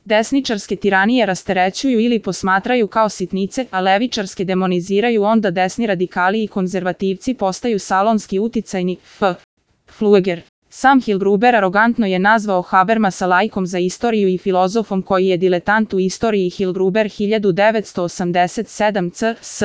Desničarske tiranije rasterećuju ili posmatraju kao sitnice, a levičarske demoniziraju, onda desni radikali i konzervativci postaju salonski uticajni. Flueger. Sam Hilgruber arogantno je nazvao Habermasa laikom za istoriju i filozofom koji je diletant u istoriji. Hilgruber 1987 c.s.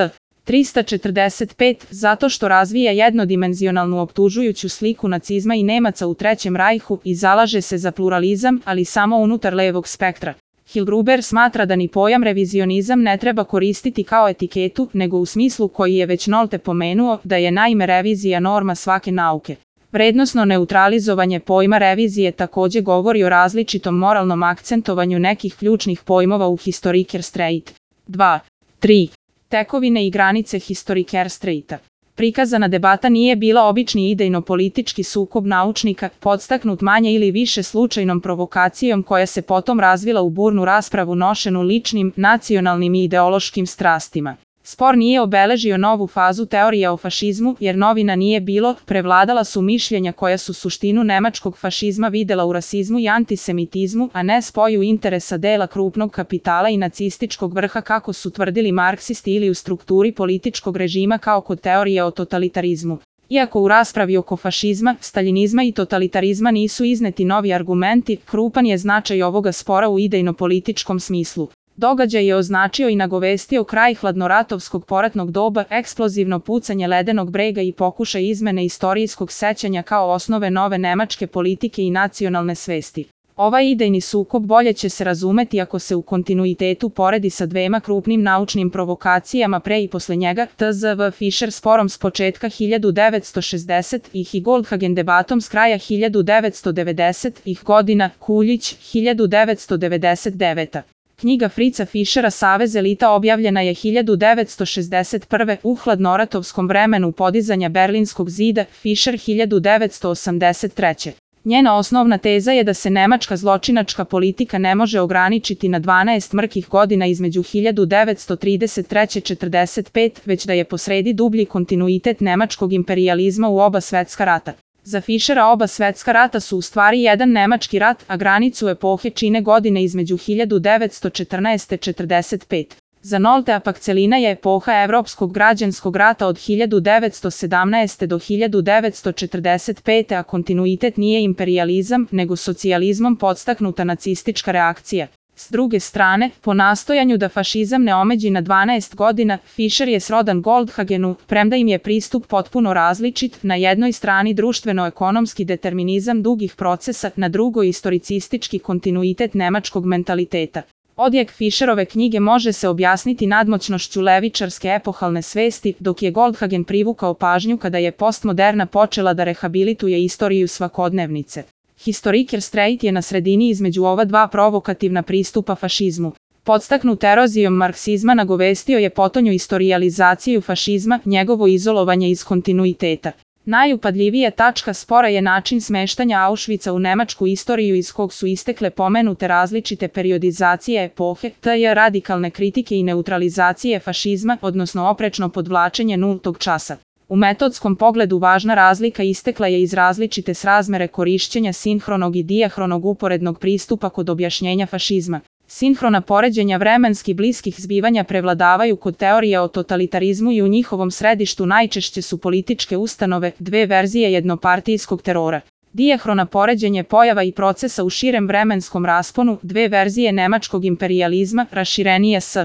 345, zato što razvija jednodimenzionalnu optužujuću sliku nacizma i Nemaca u Trećem rajhu i zalaže se za pluralizam, ali samo unutar levog spektra. Hilgruber smatra da ni pojam revizionizam ne treba koristiti kao etiketu, nego u smislu koji je već Nolte pomenuo, da je naime revizija norma svake nauke. Vrednosno neutralizovanje pojma revizije takođe govori o različitom moralnom akcentovanju nekih ključnih pojmova u Historikerstreit. 2. 3. Tekovine i granice Historikerstreita. Prikazana debata nije bila obični idejno-politički sukob naučnika, podstaknut manje ili više slučajnom provokacijom koja se potom razvila u burnu raspravu nošenu ličnim, nacionalnim i ideološkim strastima. Spor nije obeležio novu fazu teorija o fašizmu, jer novina nije bilo, prevladala su mišljenja koja su suštinu nemačkog fašizma videla u rasizmu i antisemitizmu, a ne spoju interesa dela krupnog kapitala i nacističkog vrha kako su tvrdili marksisti ili u strukturi političkog režima kao kod teorije o totalitarizmu. Iako u raspravi oko fašizma, staljinizma i totalitarizma nisu izneti novi argumenti, krupan je značaj ovoga spora u idejno-političkom smislu. Događaj je označio i nagovestio kraj hladnoratovskog poratnog doba, eksplozivno pucanje ledenog brega i pokušaj izmene istorijskog sećanja kao osnove nove nemačke politike i nacionalne svesti. Ovaj idejni sukob bolje će se razumeti ako se u kontinuitetu poredi sa dvema krupnim naučnim provokacijama pre i posle njega, tzv. Fischer sporom s početka 1960-ih i Goldhagen debatom s kraja 1990-ih godina, Kuljić, 1999. Knjiga Fritza Fischera Savez elita objavljena je 1961. u hladnoratovskom vremenu podizanja Berlinskog zida, Fischer 1983. Njena osnovna teza je da se nemačka zločinačka politika ne može ograničiti na 12 mrkih godina između 1933-45, već da je posredi dublji kontinuitet nemačkog imperijalizma u oba svetska rata. Za Fischera oba svetska rata su u stvari jedan nemački rat, a granicu epohe čine godine između 1914-45. Za Noltea pak celina je epoha Evropskog građanskog rata od 1917. do 1945. a kontinuitet nije imperijalizam, nego socijalizmom podstaknuta nacistička reakcija. S druge strane, po nastojanju da fašizam ne omeđi na 12 godina, Fischer je srodan Goldhagenu, premda im je pristup potpuno različit, na jednoj strani društveno-ekonomski determinizam dugih procesa, na drugoj istoricistički kontinuitet nemačkog mentaliteta. Odjek Fischerove knjige može se objasniti nadmoćnošću levičarske epohalne svesti, dok je Goldhagen privukao pažnju kada je postmoderna počela da rehabilituje istoriju svakodnevnice. Historikerstreit je na sredini između ova dva provokativna pristupa fašizmu. Podstaknut erozijom marksizma nagovestio je potonju istorijalizaciju fašizma, njegovo izolovanje iz kontinuiteta. Najupadljivija tačka spora je način smeštanja Auschwitza u nemačku istoriju iz kog su istekle pomenute različite periodizacije epohe, t.j. radikalne kritike i neutralizacije fašizma, odnosno oprečno podvlačenje nultog časa. U metodskom pogledu važna razlika istekla je iz različite srazmere korišćenja sinhronog i dijahronog uporednog pristupa kod objašnjenja fašizma. Sinhrona poređenja vremenski bliskih zbivanja prevladavaju kod teorija o totalitarizmu i u njihovom središtu najčešće su političke ustanove, dve verzije jednopartijskog terora. Dijahrona poređenje pojava i procesa u širem vremenskom rasponu, dve verzije nemačkog imperijalizma, raširenije s